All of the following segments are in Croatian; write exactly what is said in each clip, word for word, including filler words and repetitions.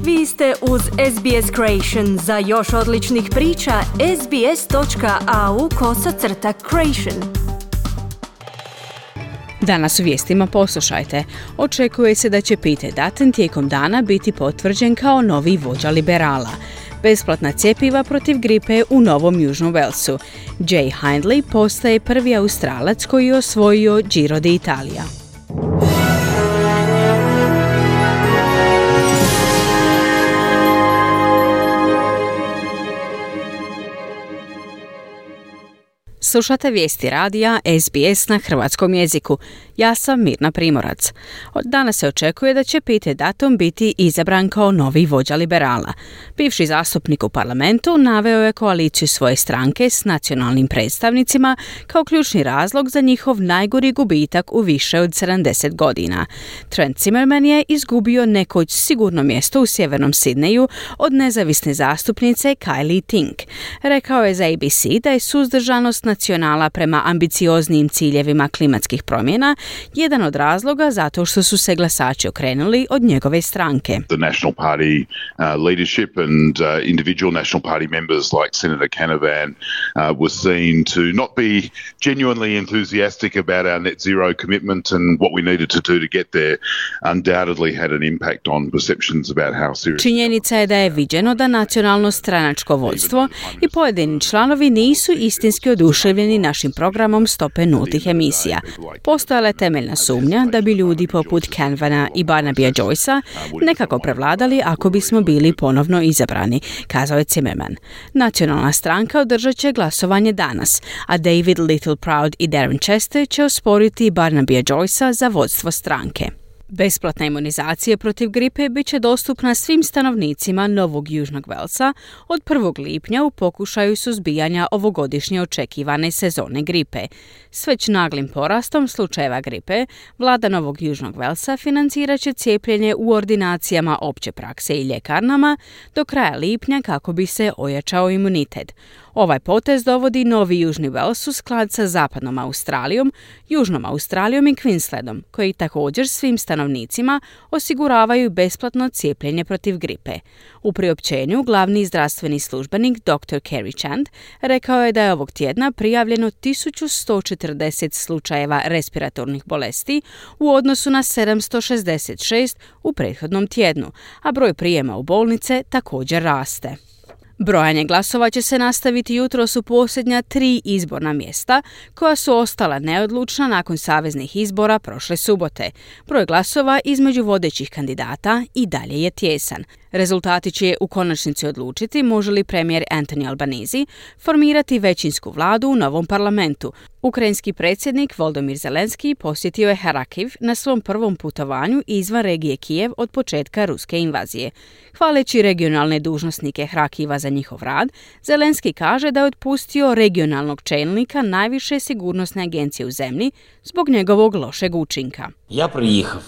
Vi ste uz S B S Creation. Za još odličnih priča, sbs.au kosacrta creation. Danas u vijestima poslušajte. Očekuje se da će Peter Dutton tijekom dana biti potvrđen kao novi vođa liberala. Besplatna cjepiva protiv gripe u Novom Južnom Walesu. Jay Hindley postaje prvi Australac koji je osvojio Giro d'Italia. Slušate vijesti radija S B S na hrvatskom jeziku. Ja sam Mirna Primorac. Od danas se očekuje da će Peter Dutton biti izabran kao novi vođa liberala. Bivši zastupnik u parlamentu naveo je koaliciju svoje stranke s nacionalnim predstavnicima kao ključni razlog za njihov najgori gubitak u više od sedamdeset godina. Trent Zimmerman je izgubio nekoć sigurno mjesto u sjevernom Sidneju od nezavisne zastupnice Kylie Tink. Rekao je za A B C da je suzdržanost nacionala prema ambicioznijim ciljevima klimatskih promjena jedan od razloga zato što su se glasači okrenuli od njegove stranke. The National Party uh, leadership and uh, individual National Party members like Senator Canavan uh, were seen to not be genuinely enthusiastic about our net zero commitment and what we needed to do to get there undoubtedly had an impact on perceptions about how serious. Činjenica je da je viđeno da nacionalno stranačko vodstvo i pojedini članovi nisu istinski oduševljeni našim programom stope nultih emisija. Postojala je temeljna sumnja da bi ljudi poput Canavana i Barnabya Joycea nekako prevladali ako bismo bili ponovno izabrani, kazao je Zimmerman. Nacionalna stranka održat će glasovanje danas, a David Littleproud i Darren Chester će osporiti Barnabya Joycea za vodstvo stranke. Besplatna imunizacija protiv gripe bit će dostupna svim stanovnicima Novog Južnog Walesa od prvog lipnja u pokušaju suzbijanja ovogodišnje očekivane sezone gripe. S već naglim porastom slučajeva gripe, vlada Novog Južnog Walesa financirat će cijepljenje u ordinacijama opće prakse i ljekarnama do kraja lipnja kako bi se ojačao imunitet. Ovaj potez dovodi Novi Južni Wales u sklad sa Zapadnom Australijom, Južnom Australijom i Queenslandom, koji također svim stanovnicima osiguravaju besplatno cijepljenje protiv gripe. U priopćenju glavni zdravstveni službenik doktor Kerry Chand rekao je da je ovog tjedna prijavljeno tisuću sto četrdeset slučajeva respiratornih bolesti u odnosu na sedamsto šezdeset šest u prethodnom tjednu, a broj prijema u bolnice također raste. Brojanje glasova će se nastaviti jutros u posljednja tri izborna mjesta koja su ostala neodlučna nakon saveznih izbora prošle subote. Broj glasova između vodećih kandidata i dalje je tijesan. Rezultati će u konačnici odlučiti može li premijer Anthony Albanese formirati većinsku vladu u novom parlamentu. Ukrajinski predsjednik Volodymyr Zelenski posjetio je Harakiv na svom prvom putovanju izvan regije Kijev od početka ruske invazije. Hvaleći regionalne dužnosnike Harakiva za njihov rad, Zelenski kaže da je otpustio regionalnog čelnika najviše sigurnosne agencije u zemlji zbog njegovog lošeg učinka. Ja prijehav.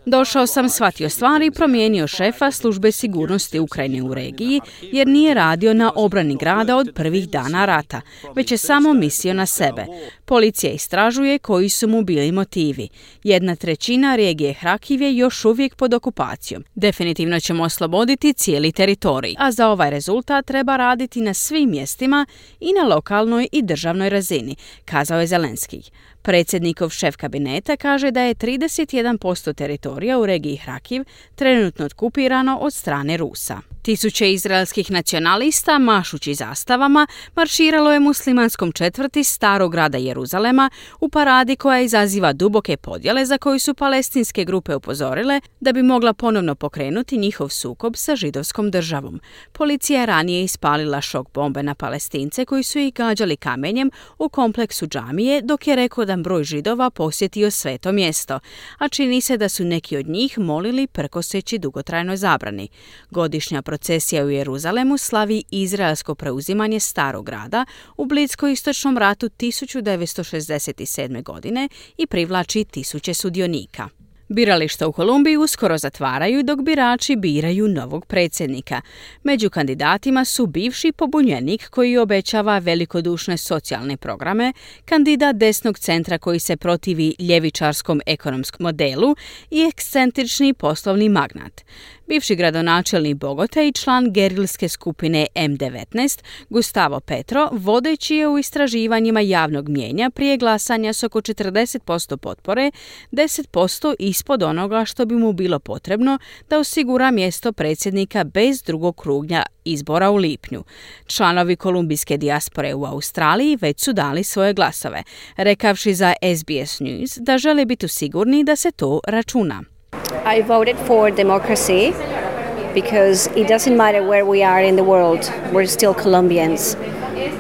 Došao sam, shvatio stvari i promijenio šefa službe sigurnosti Ukrajine u regiji jer nije radio na obrani grada od prvih dana rata, već je samo mislio na sebe. Policija istražuje koji su mu bili motivi. Jedna trećina regije Hrakiv je još uvijek pod okupacijom. Definitivno ćemo osloboditi cijeli teritorij, a za ovaj rezultat treba raditi na svim mjestima i na lokalnoj i državnoj razini, kazao je Zelenski. Predsjednikov šef kabineta kaže da je trideset jedan posto teritorija u regiji Hrakiv trenutno okupirano od strane Rusa. Tisuće izraelskih nacionalista, mašući zastavama, marširalo je muslimanskom četvrti starog grada Jeruzalema u paradi koja izaziva duboke podjele za koju su palestinske grupe upozorile da bi mogla ponovno pokrenuti njihov sukob sa židovskom državom. Policija je ranije ispalila šok bombe na Palestince koji su ih gađali kamenjem u kompleksu džamije dok je rekordan broj Židova posjetio sveto mjesto, a čini se da su neki od njih molili prkoseći dugotrajnoj zabrani. Godišnja procesija u Jeruzalemu slavi izraelsko preuzimanje starog grada u Blisko-istočnom ratu tisuću devetsto šezdeset sedme. godine i privlači tisuće sudionika. Birališta u Kolumbiji uskoro zatvaraju dok birači biraju novog predsjednika. Među kandidatima su bivši pobunjenik koji obećava velikodušne socijalne programe, kandidat desnog centra koji se protivi ljevičarskom ekonomskom modelu i ekscentrični poslovni magnat. Bivši gradonačelnik Bogote i član gerilske skupine M devetnaest, Gustavo Petro, vodeći je u istraživanjima javnog mnijenja prije glasanja s oko četrdeset posto potpore, deset posto ispod onoga što bi mu bilo potrebno da osigura mjesto predsjednika bez drugog kruga izbora u lipnju. Članovi kolumbijske dijaspore u Australiji već su dali svoje glasove, rekavši za S B S News da žele biti sigurni da se to računa. I voted for democracy because it doesn't matter where we are in the world, we're still Colombians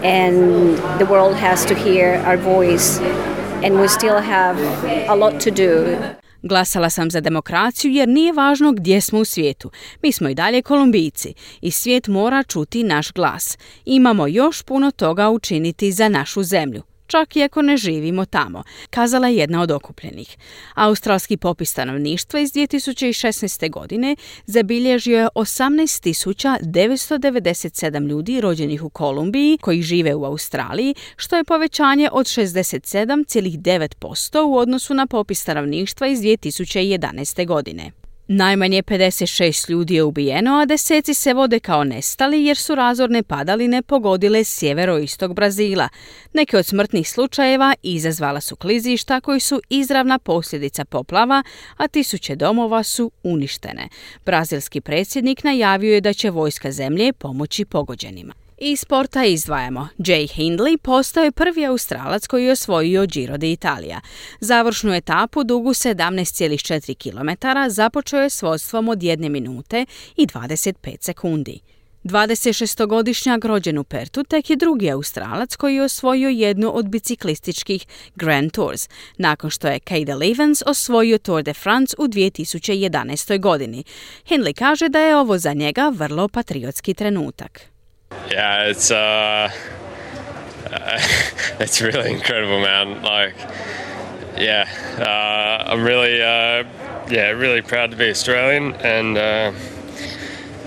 and the world has to hear our voice and we still have a lot to do. Glasala sam za demokraciju jer nije važno gdje smo u svijetu. Mi smo i dalje Kolumbijci i svijet mora čuti naš glas. Imamo još puno toga učiniti za našu zemlju, čak i ako ne živimo tamo, kazala je jedna od okupljenih. Australski popis stanovništva iz dvije tisuće šesnaeste. godine zabilježio je osamnaest tisuća devetsto devedeset sedam ljudi rođenih u Kolumbiji koji žive u Australiji, što je povećanje od šezdeset sedam zarez devet posto u odnosu na popis stanovništva iz dvije tisuće jedanaeste. godine. Najmanje pedeset šest ljudi je ubijeno, a deseci se vode kao nestali jer su razorne padaline pogodile sjeveroistok Brazila. Neke od smrtnih slučajeva izazvala su klizišta koji su izravna posljedica poplava, a tisuće domova su uništene. Brazilski predsjednik najavio je da će vojska zemlje pomoći pogođenima. Iz sporta izdvajamo. Jay Hindley postao je prvi Australac koji je osvojio Giro d'Italia. Završnu etapu dugu sedamnaest zarez četiri kilometara započeo je s vodstvom od jedne minute i dvadeset pet sekundi. dvadesetšestogodišnjak rođen u Pertu tek je drugi Australac koji je osvojio jednu od biciklističkih Grand Tours, nakon što je Cadel Evans osvojio Tour de France u dvije tisuće jedanaestoj. godini. Hindley kaže da je ovo za njega vrlo patriotski trenutak. Yeah, it's uh, uh, it's really incredible, man. Like, yeah, uh, I'm really, uh, yeah, really proud to be Australian, and uh,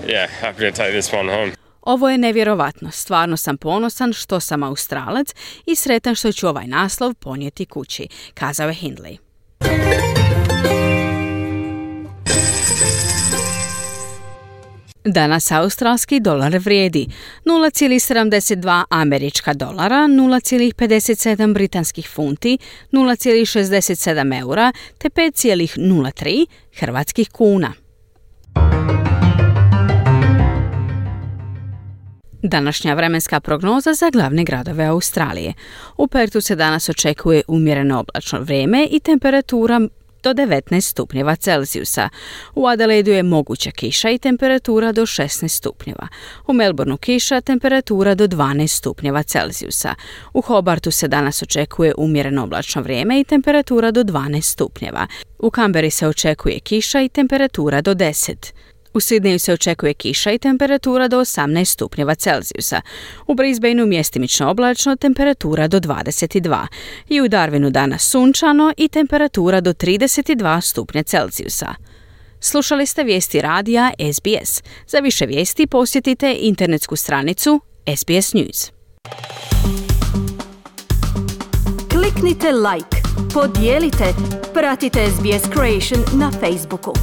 yeah, happy to take this one home. Ovo je nevjerovatno. Stvarno sam ponosan što sam Australac i sretan što ću ovaj naslov ponijeti kući, kazao je Hindley. Danas australski dolar vrijedi nula zarez sedamdeset dva američka dolara, nula zarez pedeset sedam britanskih funti, nula zarez šezdeset sedam eura te pet zarez nula tri hrvatskih kuna. Današnja vremenska prognoza za glavne gradove Australije. U Pertu se danas očekuje umjereno oblačno vrijeme i temperatura do devetnaest stupnjeva Celzijusa. U Adelaidu je moguća kiša i temperatura do šesnaest stupnjeva. U Melbourneu kiša, temperatura do dvanaest stupnjeva Celzijusa. U Hobartu se danas očekuje umjereno oblačno vrijeme i temperatura do dvanaest stupnjeva. U Canberri se očekuje kiša i temperatura do deset. U Sidneju se očekuje kiša i temperatura do osamnaest stupnjeva Celzijusa. U Brisbaneu mjestimično oblačno, temperatura do dvadeset dva. I u Darwinu danas sunčano i temperatura do trideset dva stupnja Celzijusa. Slušali ste vijesti radija S B S. Za više vijesti posjetite internetsku stranicu S B S News. Kliknite like, podijelite, pratite S B S Creation na Facebooku.